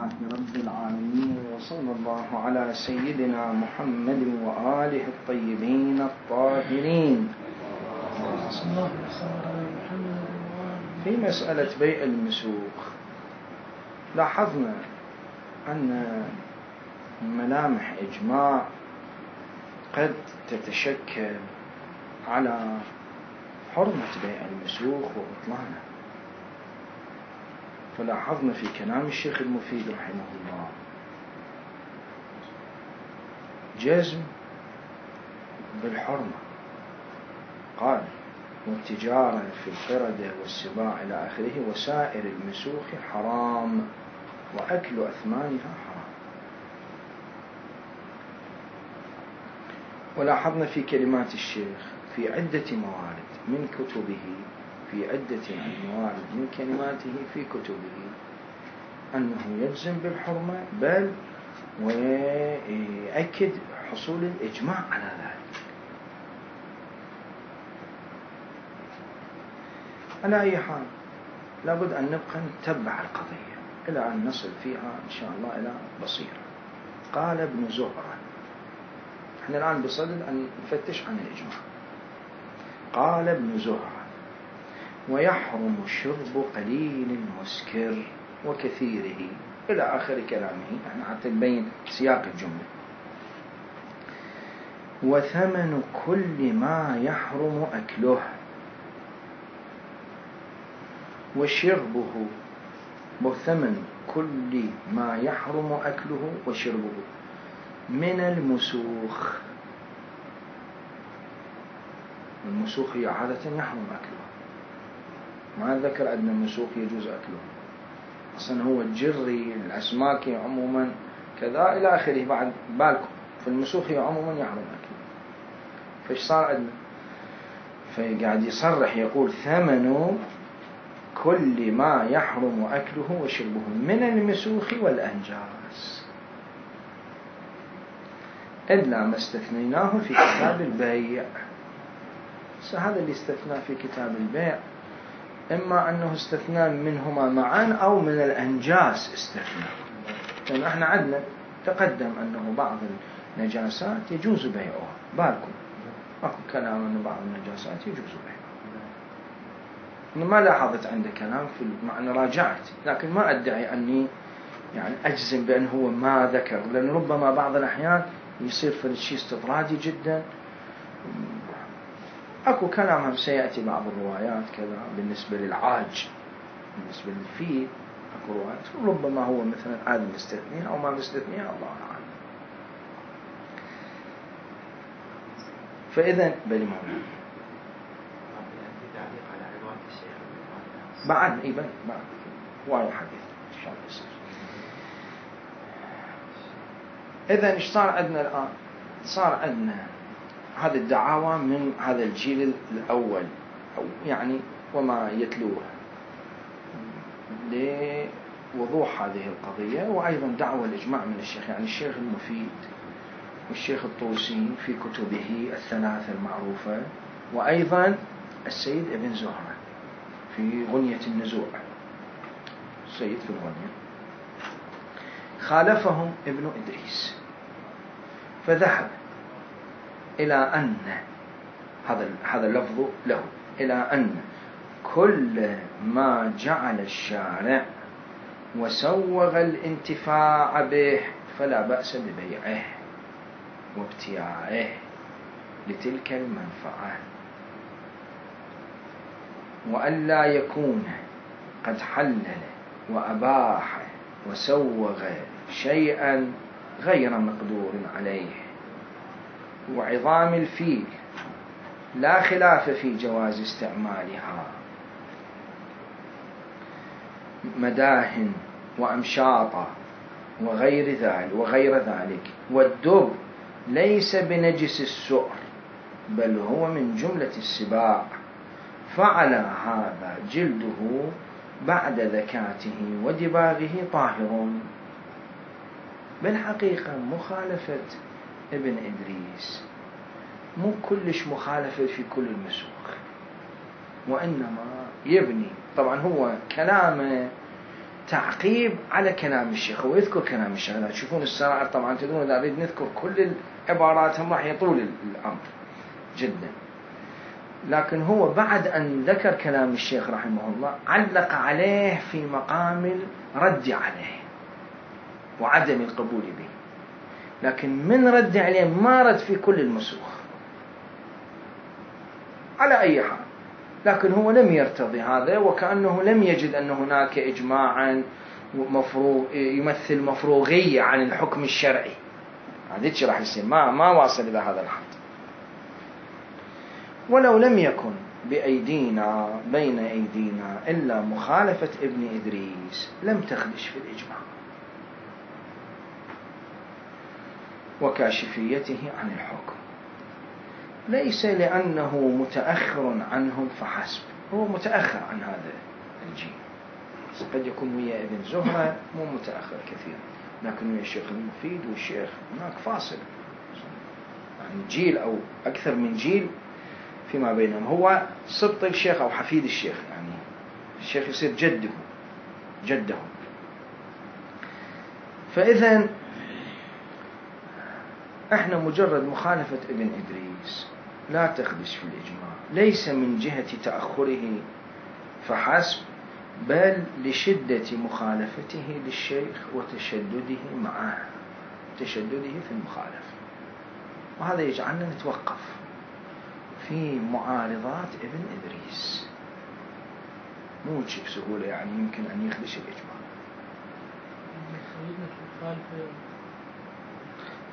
لله رب العالمين، وصلى الله على سيدنا محمد وآله الطيبين الطاهرين. في مسألة بيع المسوق لاحظنا أن ملامح إجماع قد تتشكل على حرمة بيع المسوق وبطلانه. فلاحظنا في كلام الشيخ المفيد رحمه الله جزم بالحرمة، قال والتجارة في القردة والسباع إلى آخره وسائر المسوق حرام وأكل أثمانها حرام. ولاحظنا في كلمات الشيخ في عدة موارد من كتبه، في عدة موارد من كلماته في كتبه أنه يجزم بالحرمة، بل ويؤكد حصول الإجماع على ذلك. على أي حال لابد أن نبقى نتبع القضية إلى أن نصل فيها إن شاء الله إلى بصيرة. قال ابن زهرة، احنا الآن بصدد أن نفتش عن الإجماع. قال ابن زهرة ويحرم شرب قليل المسكر وكثيره إلى آخر كلامه، يعني حتى نبين سياق الجملة. وثمن كل ما يحرم أكله وشربه، وثمن كل ما يحرم أكله وشربه من المسوخ. المسوخ هي عادة يحرم أكله، ما ذكر أن المسوخ يجوز أكله، أصلا هو الجري الأسماك عموما كذا إلى آخره. بعد بالكم في المسوخ عموما يحرم أكله، فإيش صار عندنا؟ فقاعد يصرح يقول ثمن كل ما يحرم أكله وشربه من المسوخ والأنجاس إلا ما استثنيناه في كتاب البيع. هذا اللي استثنى في كتاب البيع إما أنه استثنى منهما معا أو من الأنجاس استثنى، لأن احنا عندنا تقدم أنه بعض النجاسات يجوز بيعها. بالكم أكو كلام أنه بعض النجاسات يجوز بيعها، أنا ما لاحظت عنده كلام في المعنى، راجعت لكن ما أدعي أني يعني أجزم بأنه هو ما ذكر، لأن ربما بعض الأحيان يصير في الشيء استطرادي جدا. أكو كلام سيأتي بعض الروايات كذا بالنسبة للعاج، بالنسبة للفيل أكو روايات ربما هو مثلا عاد مستثنين أو ما مستثنين، الله أعلم. فإذا بلي مولانا بعد إيبن بعد وايد حديث إن شاء الله يصير. إذا إيش صار عندنا الآن؟ صار عندنا هذه الدعاوى من هذا الجيل الأول، أو يعني وما يتلوه لوضوح هذه القضية، وأيضا دعوى الإجماع من الشيخ، يعني الشيخ المفيد والشيخ الطوسي في كتبه الثلاثة المعروفة، وأيضا السيد ابن زهرة في غنية النزوع، السيد في الغنية. خالفهم ابن إدريس فذهب إلى أن هذا اللفظ له إلى أن كل ما جعل الشارع وسوغ الانتفاع به فلا بأس ببيعه وابتياعه لتلك المنفعة، وألا يكون قد حلل وأباح وسوغ شيئا غير مقدور عليه. وعظام الفيل لا خلاف في جواز استعمالها، مداهن وأمشاطة وغير ذلك. والدب ليس بنجس السؤر بل هو من جملة السباع، فعلى هذا جلده بعد ذكاته ودباغه طاهر. بالحقيقة مخالفة ابن إدريس مو كلش مخالفة في كل المسوق، وإنما يبني، طبعا هو كلامه تعقيب على كلام الشيخ ويذكر كلام الشيخ. تشوفون السرائر طبعا تدرون إذا نريد نذكر كل العبارات هم راح يطول الأمر جدا، لكن هو بعد أن ذكر كلام الشيخ رحمه الله علق عليه في مقام الرد عليه وعدم القبول به، لكن من رد عليه ما رد في كل المسوخ على أي حال، لكن هو لم يرتضي هذا، وكأنه لم يجد أن هناك إجماعا يمثل مفروغية عن الحكم الشرعي. هذا راح يصير ما واصل إلى هذا الحد. ولو لم يكن بأيدينا بين أيدينا إلا مخالفة ابن إدريس لم تخدش في الإجماع وكاشفيته عن الحكم، ليس لأنه متأخر عنهم فحسب، هو متأخر عن هذا الجيل، قد يكون ويا ابن زهرة مو متأخر كثير، لكن ويا الشيخ المفيد والشيخ هناك فاصل، يعني جيل أو أكثر من جيل فيما بينهم. هو سبط الشيخ أو حفيد الشيخ، يعني الشيخ يصير جده. فإذا احنا مجرد مخالفة ابن إدريس لا تخدش في الإجماع، ليس من جهة تأخره فحسب، بل لشدة مخالفته للشيخ وتشدده معه، تشدده في المخالفة، وهذا يجعلنا نتوقف في معارضات ابن إدريس، مو بسهولة يعني يمكن أن يخدش الإجماع.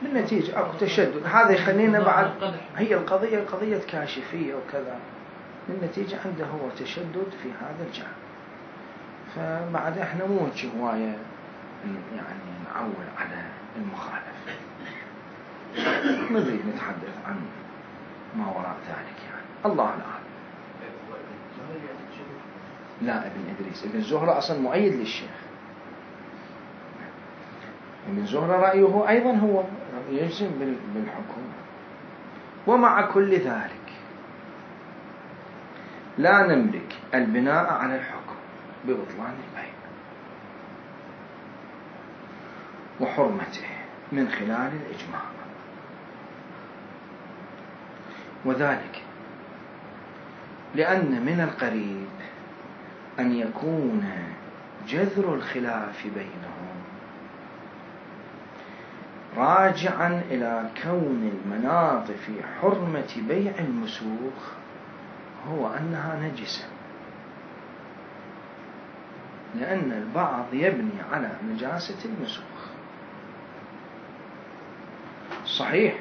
بالنتيجة أكو تشدد، هذا يخلينا بعد هي قضية كاشفية وكذا، بالنتيجة عنده هو تشدد في هذا الجانب. فبعد احنا مو هواية يعني نعول على المخالفة، نريد نتحدث عن ما وراء ذلك يعني. الله العالم. لا ابن إدريس، ابن زهرة أصلا مؤيد للشيخ، ابن زهرة رأيه أيضا هو يجزم بالحكم. ومع كل ذلك لا نملك البناء على الحكم ببطلان البيع وحرمته من خلال الإجماع، وذلك لأن من القريب أن يكون جذر الخلاف بينهم راجعا إلى كون المناط في حرمة بيع المسوخ هو أنها نجسة، لأن البعض يبني على نجاسة المسوخ. صحيح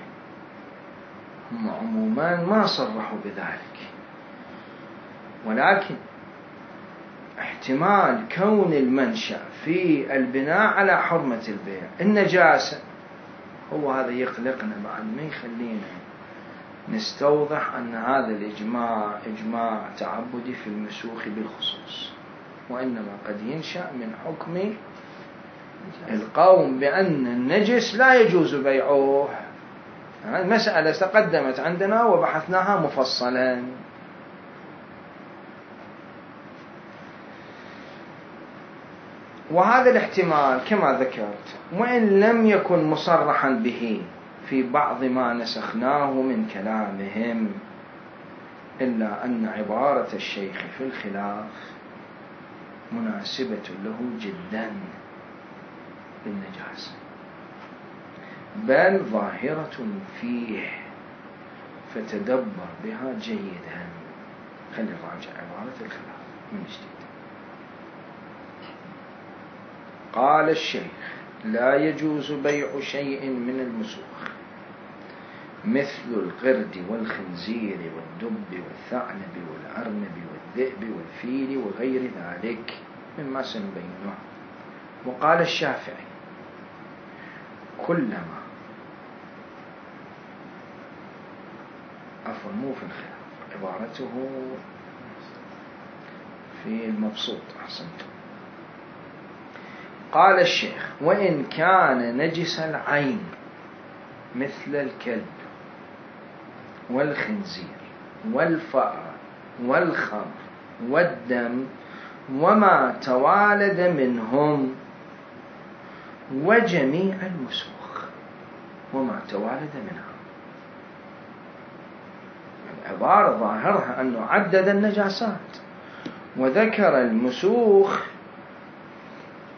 هم عموما ما صرحوا بذلك، ولكن احتمال كون المنشأ في البناء على حرمة البيع النجاسة هو هذا يقلقنا، بعد ما يخلينا نستوضح أن هذا الإجماع إجماع تعبدي في المسوخ بالخصوص، وإنما قد ينشأ من حكم القوم بأن النجس لا يجوز بيعه. المسألة تقدمت عندنا وبحثناها مفصلا. وهذا الاحتمال كما ذكرت وإن لم يكن مصرحا به في بعض ما نسخناه من كلامهم، إلا أن عبارة الشيخ في الخلاف مناسبة له جدا بالنجاسة، بل ظاهرة فيه، فتدبر بها جيدا. خلي نراجع عبارة الخلاف من جديد. قال الشيخ: لا يجوز بيع شيء من المسوخ مثل القرد والخنزير والدب والثعلب والأرنب والذئب والفيل وغير ذلك مما سنبينه. وقال الشافعي: كلما عفوا مو في الخلاف، عبارته في المبسوط، أحسنتم. قال الشيخ: وإن كان نجس العين مثل الكلب والخنزير والفأر والخمر والدم وما توالد منهم وجميع المسوخ. وما توالد منها العبارة ظاهرها أنه عدد النجاسات وذكر المسوخ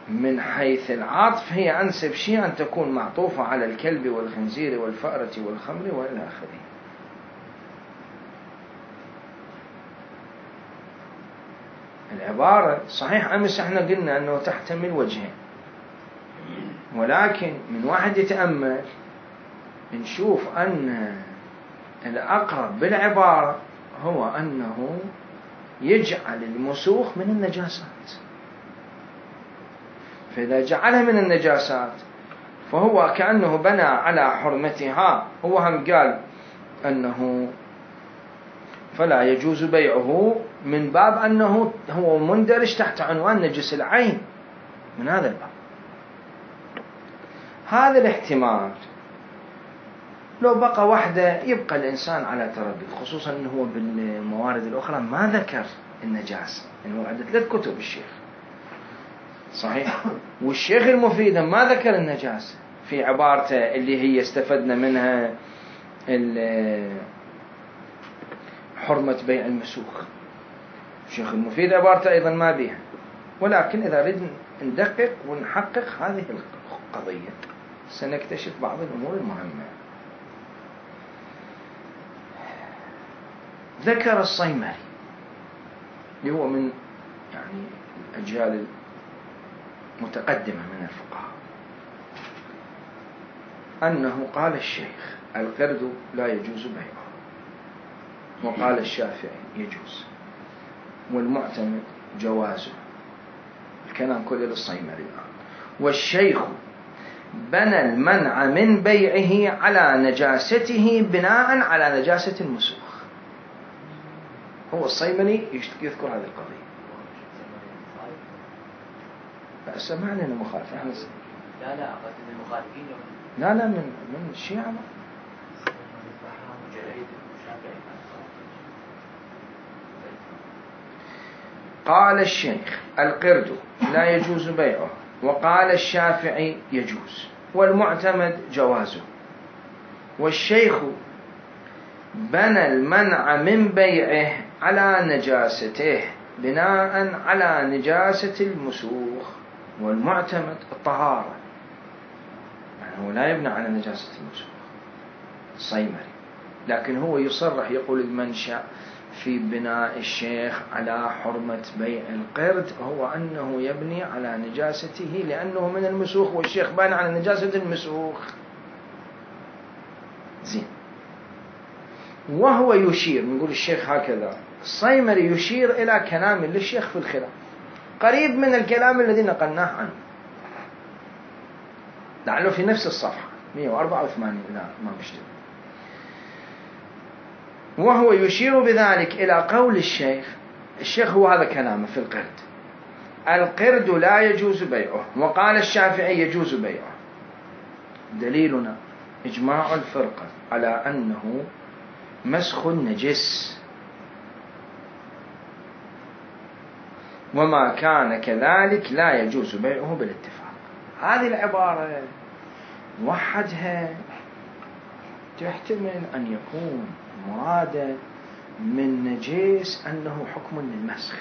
من حيث العطف هي أنسب شيء أن تكون معطوفة على الكلب والخنزير والفأرة والخمر وإلى آخره. العبارة صحيح أمس احنا قلنا أنه تحتمل وجهين، ولكن من واحد يتأمل نشوف أن الأقرب بالعبارة هو أنه يجعل المسوخ من النجاسات، فإذا جعلها من النجاسات فهو كأنه بنى على حرمتها. هو هم قال أنه فلا يجوز بيعه من باب أنه هو مندرج تحت عنوان نجس العين، من هذا الباب. هذا الاحتمال لو بقى وحده يبقى الإنسان على تردد، خصوصا أنه هو بالموارد الأخرى ما ذكر النجاسة، يعني عنده 3 كتب الشيخ صحيح، والشيخ المفيد ما ذكر النجاسة في عبارته اللي هي استفدنا منها حرمة بيع المسوخ. الشيخ المفيد عبارته أيضا ما بيها، ولكن إذا ردنا ندقق ونحقق هذه القضية سنكتشف بعض الأمور المهمة. ذكر الصيمري اللي هو من يعني الأجيال المتقدمة من الفقهاء أنه قال الشيخ القرد لا يجوز بيعه، وقال الشافعي يجوز، والمعتمد جوازه. الكلام كله للصيمري. والشيخ بنى المنع من بيعه على نجاسته بناء على نجاسة المسوخ. هو الصيمري يذكر هذه القضية. بس ما علينا مخالفة. لا قد المخالفين لا من الشيعة. قال الشيخ القرد لا يجوز بيعه، وقال الشافعي يجوز، والمعتمد جوازه. والشيخ بنى المنع من بيعه على نجاسته بناء على نجاسة المسوخ، والمعتمد الطهارة، يعني هو لا يبنى على نجاسة المسوخ الصيمري، لكن هو يصرح يقول المنشأ في بناء الشيخ على حرمة بيع القرد هو أنه يبني على نجاسته لأنه من المسوخ، والشيخ بنى على نجاسة المسوخ. زين. وهو يشير، نقول الشيخ هكذا، الصيمري يشير إلى كلام للشيخ في الخلاف قريب من الكلام الذي نقلناه عنه، لعله في نفس الصفحة 184 إذا ما بشتغل. وهو يشير بذلك إلى قول الشيخ هو هذا كلامه في القرد: القرد لا يجوز بيعه، وقال الشافعي يجوز بيعه. دليلنا إجماع الفرقة على أنه مسخ نجس، وما كان كذلك لا يجوز بيعه بالاتفاق. هذه العبارة وحدها تحتمل أن يكون مرادا من نجس أنه حكم للمسخ،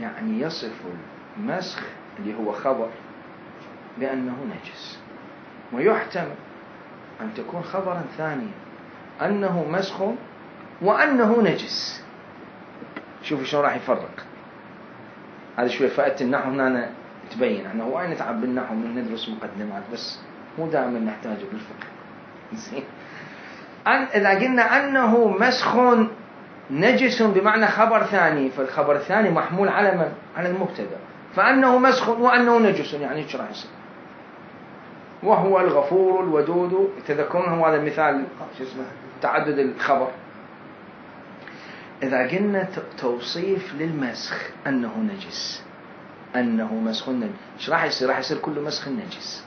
يعني يصف المسخ اللي هو خبر بأنه نجس، ويحتمل أن تكون خبرا ثانيا أنه مسخ وأنه نجس. شوفوا شلون راح يفرق هذا شوية. فائدة النحو هنا تبين أنه وين نتعب بالنحو من ندرس مقدمات، بس مو دائما نحتاجه بالفقه. زين. إذا قلنا أنه مسخ نجس بمعنى خبر ثاني، فالخبر الثاني محمول على من؟ على المبتدأ، فأنه مسخ وأنه نجس، يعني ايش راح يصير؟ وهو الغفور الودود. تذكرون هذا المثال شو اسمه تعدد الخبر. إذا قلنا توصيف للمسخ أنه نجس، أنه مسخ نجس، ايش راح يصير؟ راح يصير كل مسخ نجس.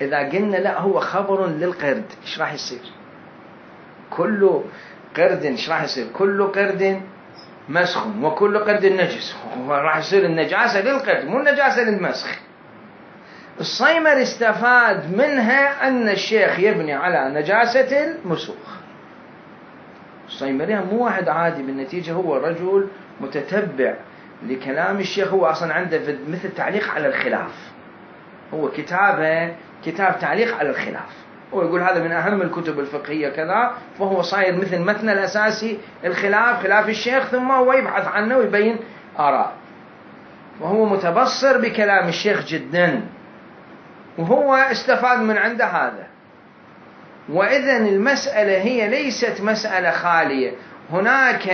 إذا قلنا لا هو خبر للقرد، ايش راح يصير؟ كل قرد ايش راح يصير؟ كل قرد مسخ وكل قرد نجس، راح يصير النجاسة للقرد مو النجاسة للمسخ. الصيمري استفاد منها أن الشيخ يبني على نجاسة المسوخ. الصيمري مو واحد عادي، بالنتيجة هو رجل متتبع لكلام الشيخ، هو أصلا عنده مثل تعليق على الخلاف، هو كتابه كتاب تعليق على الخلاف، هو يقول هذا من أهم الكتب الفقهية كذا، فهو صاير مثل متن الأساسي الخلاف، خلاف الشيخ، ثم هو يبحث عنه ويبين آراء، وهو متبصر بكلام الشيخ جدا، وهو استفاد من عنده هذا. وإذن المسألة هي ليست مسألة خالية، هناك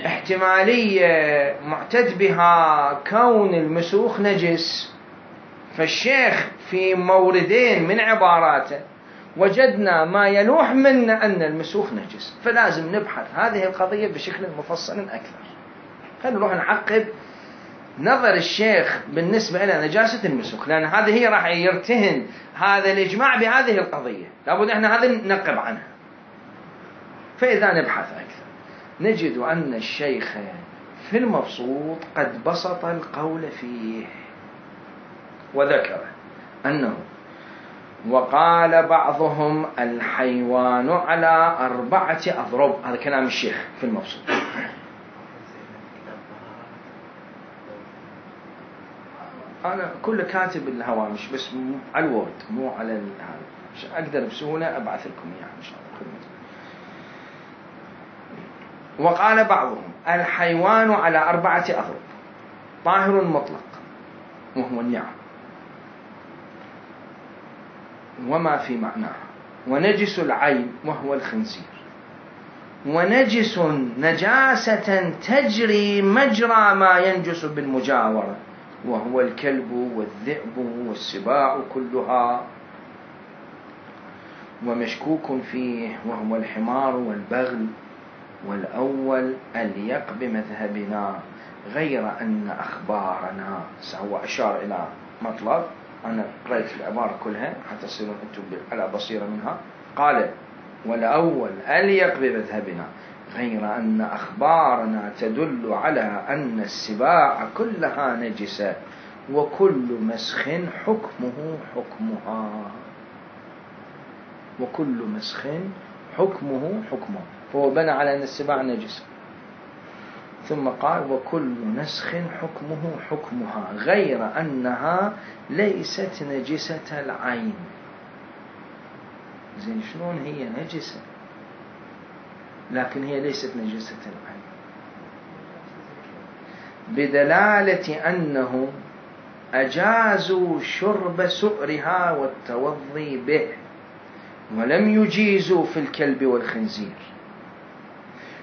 احتمالية معتد بها كون المسوخ نجس، فالشيخ في موردين من عباراته وجدنا ما يلوح منا أن المسوخ نجس، فلازم نبحث هذه القضية بشكل مفصل أكثر. خلينا نروح نعقب نظر الشيخ بالنسبة إلى نجاسة المسوخ، لأن هذه هي راح يرتهن هذا الإجماع بهذه القضية، لابد إحنا هذا ننقب عنها. فإذا نبحث أكثر نجد أن الشيخ في المبسوط قد بسط القول فيه، وذكر أنه وقال بعضهم الحيوان على 4 أضرب، هذا كلام الشيخ في المبسوط. أنا كل كاتب الهوامش بس على الوورد مو على هذا، أقدر بسهولة أبعث لكم إياها إن شاء الله. وقال بعضهم الحيوان على 4 أضرب، طاهر مطلق وهو النعم وما في معناه، ونجس العين وهو الخنزير، ونجس نجاسة تجري مجرى ما ينجس بالمجاورة وهو الكلب والذئب والسباع كلها، ومشكوك فيه وهو الحمار والبغل، والأول أليق بمذهبنا غير أن أخبارنا، هو أشار إلى مطلب، أنا قرأت العبارة كلها حتى تصيرون أنتم على بصيرة منها. قال والأول أليق بمذهبنا غير أن أخبارنا تدل على أن السباع كلها نجسة وكل مسخ حكمه حكمها، وكل مسخ حكمه حكمه، فهو بنى على أن السباع نجسة، ثم قال وكل نسخ حكمه حكمها غير أنها ليست نجسة العين. زين شلون هي نجسة لكن هي ليست نجسة العين؟ بدلالة أنه أجازوا شرب سؤرها والتوضي به ولم يجيزوا في الكلب والخنزير،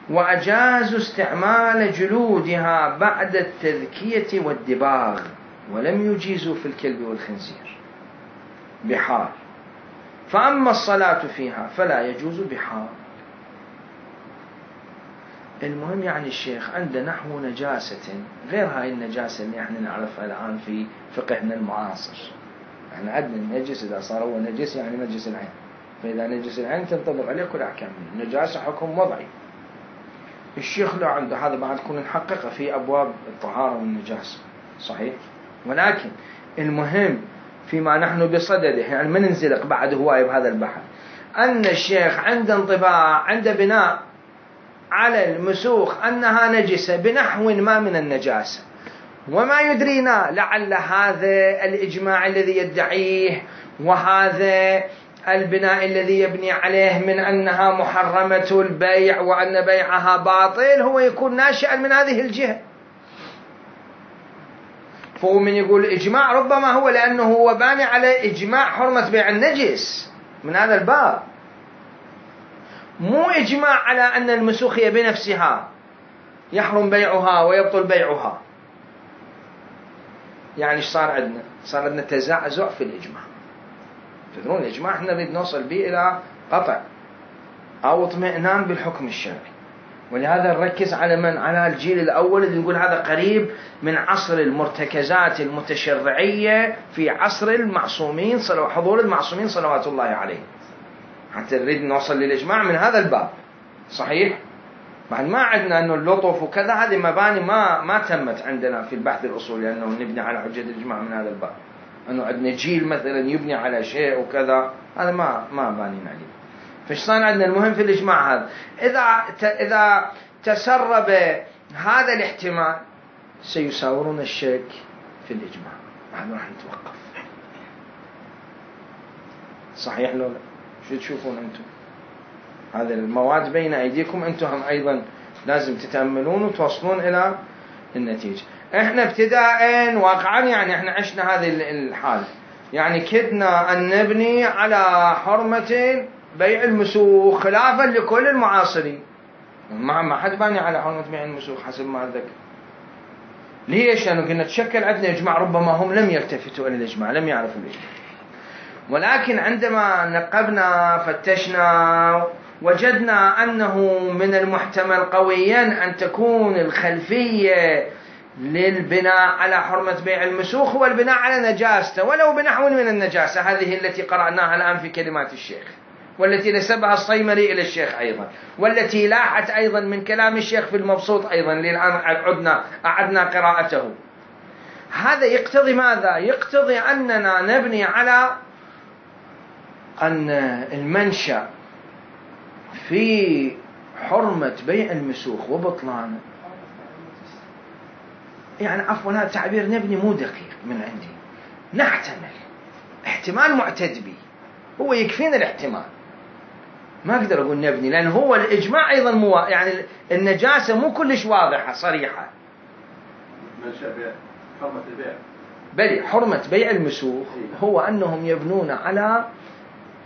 وأجازوا استعمال جلودها بعد التذكية والدباغ ولم يجيزوا في الكلب والخنزير بحال، فأما الصلاة فيها فلا يجوز بحال. المهم يعني الشيخ عنده نحو نجاسة غير هاي النجاسة اللي احنا نعرفها الآن في فقهنا المعاصر. احنا عندنا النجس إذا صار هو نجس يعني نجس العين، فإذا نجس العين تنطبق عليه كل أحكام النجاسة حكم وضعي. الشيخ لا عنده هذا، بعد كنا نحققه في أبواب الطهارة والنجاسة صحيح، ولكن المهم فيما نحن بصدده يعني ما ننزلق بعد هواية بهذا البحث، أن الشيخ عنده انطباع عنده بناء على المسوخ أنها نجسة بنحو ما من النجاسة، وما يدرينا لعل هذا الإجماع الذي يدعيه وهذا البناء الذي يبني عليه من أنها محرمة البيع وأن بيعها باطل هو يكون ناشئا من هذه الجهة. فهو من يقول إجماع ربما هو لأنه هو باني على إجماع حرمة بيع النجس من هذا الباب، مو إجماع على أن المسوخ هي بنفسها يحرم بيعها ويبطل بيعها. يعني ايش صار عندنا؟ صار عندنا تزعزع في الإجماع. تدرون الإجماع احنا نريد نوصل به إلى قطع أو اطمئنان بالحكم الشرعي، ولهذا نركز على من؟ على الجيل الأول اللي نقول هذا قريب من عصر المرتكزات المتشرعية في عصر المعصومين حضور المعصومين صلوات الله عليه، حتى نريد نوصل للإجماع من هذا الباب صحيح. بعد ما عندنا أنه اللطف وكذا، هذه مباني ما تمت عندنا في البحث الأصولي أنه نبني على حجة الإجماع من هذا الباب، أنه عندنا جيل مثلا يبني على شيء وكذا، هذا ما بانين عليه. فايش صار عندنا؟ المهم في الإجماع هذا إذا تسرب هذا الاحتمال سيساورون الشك في الإجماع، نحن راح نتوقف. صحيح لو لا؟ شو تشوفون أنتم؟ هذه المواد بين أيديكم، أنتم هم أيضا لازم تتأملون وتوصلون إلى النتيجة. إحنا ابتداء واقعا يعني إحنا عشنا هذه الحالة، يعني كدنا أن نبني على حرمة بيع المسوخ خلافا لكل المعاصرين. ما حد باني على حرمة بيع المسوخ حسب ما أتذكر. ليش؟ لأنه كنا تشكل عندنا إجماع، ربما هم لم يلتفتوا إلى الإجماع، لم يعرفوا الإجماع. ولكن عندما نقبنا فتشنا وجدنا أنه من المحتمل قويا أن تكون الخلفية للبناء على حرمة بيع المسوخ هو البناء على نجاسته ولو بنحو من النجاسة، هذه التي قرأناها الآن في كلمات الشيخ، والتي نسبها الصيمري إلى الشيخ أيضا، والتي لاحت أيضا من كلام الشيخ في المبسوط أيضا، الآن أعدنا قراءته. هذا يقتضي ماذا؟ يقتضي أننا نبني على أن المنشأ في حرمة بيع المسوخ وبطلانه، يعني عفوا هذا تعبير نبني مو دقيق من عندي، نحتمل احتمال معتد به، هو يكفينا الاحتمال، ما أقدر أقول نبني، لأن هو الإجماع أيضا يعني النجاسة مو كلش واضحة صريحة. منشأ بيع حرمة البيع، بل حرمة بيع المسوخ هو أنهم يبنون على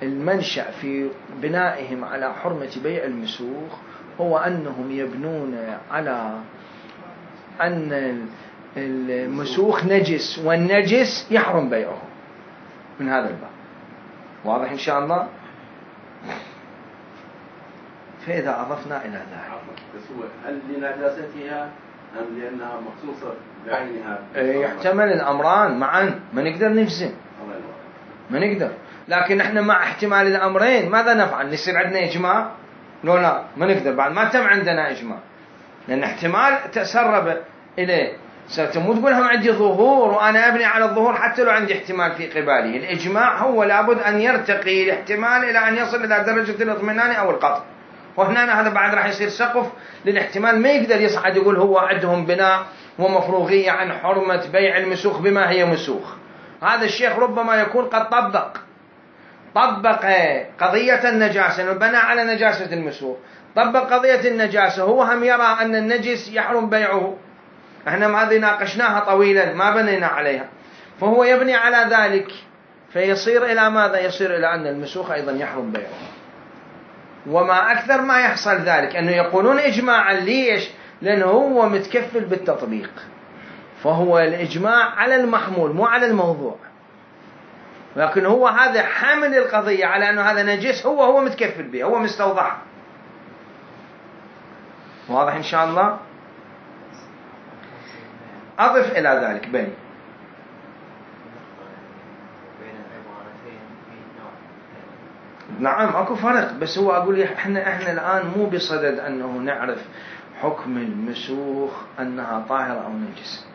المنشأ في بنائهم على حرمة بيع المسوخ، هو أنهم يبنون على أن المسوخ نجس والنجس يحرم بيعه من هذا الباب. واضح إن شاء الله؟ فإذا أضفنا إلى ذلك، هل لنجاستها أم لأنها مخصوصة بعينها؟ يحتمل الأمران معا، ما نقدر نجزم، ما نقدر. لكن احنا مع احتمال الأمرين ماذا نفعل؟ نصير عندنا إجماع؟ لا ما نقدر، بعد ما تم عندنا إجماع، لأن احتمال تسرب إليه. ستمو تقول هم عندي ظهور وأنا أبني على الظهور حتى لو عندي احتمال في قبالي. الإجماع هو لابد أن يرتقي الاحتمال إلى أن يصل إلى درجة الاطمئنان أو القطع، وهنا هذا بعد راح يصير سقف للاحتمال، ما يقدر يصعد يقول هو عندهم بناء ومفروغية عن حرمة بيع المسوخ بما هي مسوخ. هذا الشيخ ربما يكون قد طبق قضية النجاسة، بنى على نجاسة المسوخ، طبق قضية النجاسة، هو هم يرى أن النجس يحرم بيعه، احنا هذه ناقشناها طويلا ما بنينا عليها، فهو يبني على ذلك، فيصير إلى ماذا؟ يصير إلى أن المسوخ أيضا يحرم بيعه. وما أكثر ما يحصل ذلك أنه يقولون إجماعا. ليش؟ لأنه هو متكفل بالتطبيق، فهو الإجماع على المحمول مو على الموضوع، لكن هو هذا حامل القضية على أنه هذا نجس، هو متكفل به، هو مستوضح. واضح إن شاء الله؟ أضف إلى ذلك بين نعم أكو فرق، بس هو أقول إحنا الآن مو بصدد أنه نعرف حكم المسوخ أنها طاهرة أو نجس،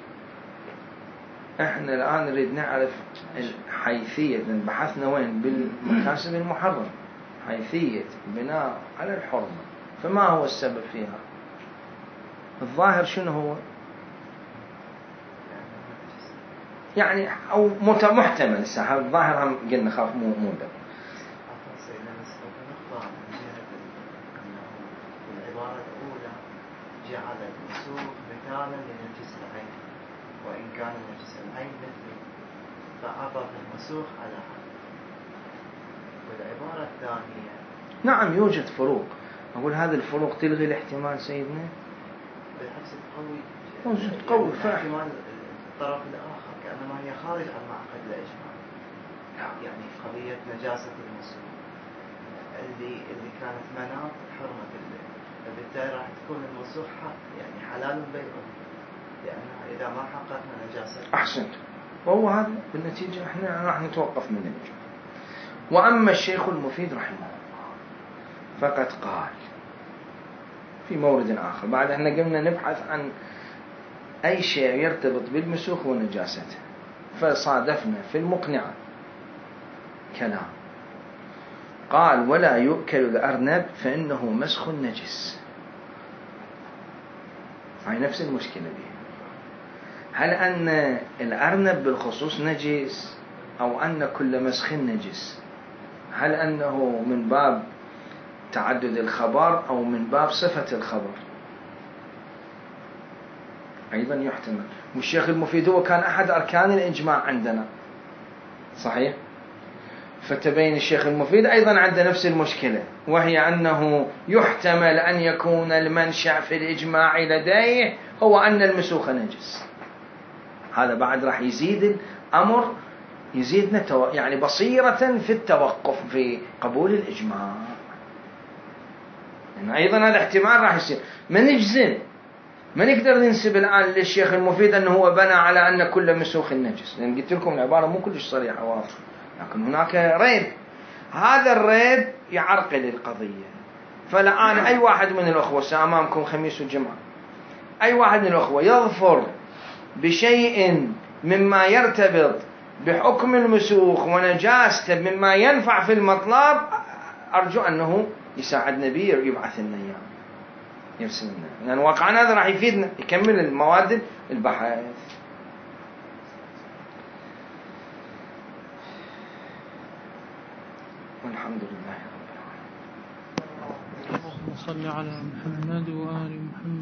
إحنا الآن نريد نعرف الحيثية، لأن بحثنا وين؟ بالمكاسب المحرم، حيثية بناء على الحرمة، فما هو السبب فيها؟ الظاهر شنو هو؟ يعني أو محتمل الساحة، الظاهر هم قلنا خاف مو ده. العبارة الأولى جعل المسوخ مثالا لنجس العين، وإن كان نجس العين مثله، فعطف المسوخ على هذا. والعبارة الثانية نعم يوجد فروق، أقول هذه الفروق تلغي الاحتمال سيدنا؟ بالعكس تقوي، قوي احتمال الطرف الآخر كأنما هي خارج عن معقد الإجماع. يعني قضية نجاسة المسوخ اللي كانت مناط حرمة البيع، فبالتالي راح تكون المسوخ يعني حلال بيعه، لأنها إذا ما حققنا نجاسة. أحسنت، وهو هذا بالنتيجة احنا راح نتوقف من الإجماع. وأما الشيخ المفيد رحمه الله فقد قال في مورد آخر. بعد احنا قمنا نبحث عن أي شيء يرتبط بالمسوخ ونجاسته، فصادفنا في المقنعة كلام قال ولا يؤكل الأرنب فإنه مسخ نجس. هاي نفس المشكلة دي. هل أن الأرنب بالخصوص نجس أو أن كل مسخ نجس؟ هل أنه من باب تعدد الخبر أو من باب صفة الخبر؟ أيضا يحتمل. والشيخ المفيد هو كان أحد أركان الإجماع عندنا، صحيح؟ فتبين الشيخ المفيد أيضا عنده نفس المشكلة، وهي أنه يحتمل أن يكون المنشأ في الإجماع لديه هو أن المسوخ نجس. هذا بعد راح يزيد الأمر، يزيدنا يعني بصيرة في التوقف في قبول الإجماع. يعني أيضا هذا احتمال راح يصير. ما نجزم، ما نقدر ننسب الآن للشيخ المفيد أنه هو بنى على أن كل مسوخ نجس، لأن قلت لكم العبارة مو كلش صريحة واضحة، لكن هناك ريب. هذا الريب يعرقل القضية. فالآن أي واحد من الأخوة سأمامكم خميس وجمعة، أي واحد من الأخوة يظفر بشيء مما يرتبط بحكم المسوخ ونجاسته مما ينفع في المطلب، أرجو أنه يساعدنا به ويبعث لنا إياه، يرسل لنا، لأن يعني واقعا هذا راح يفيدنا يكمل المواد البحث. والحمد لله رب العالمين. اللهم صل على محمد وآل محمد.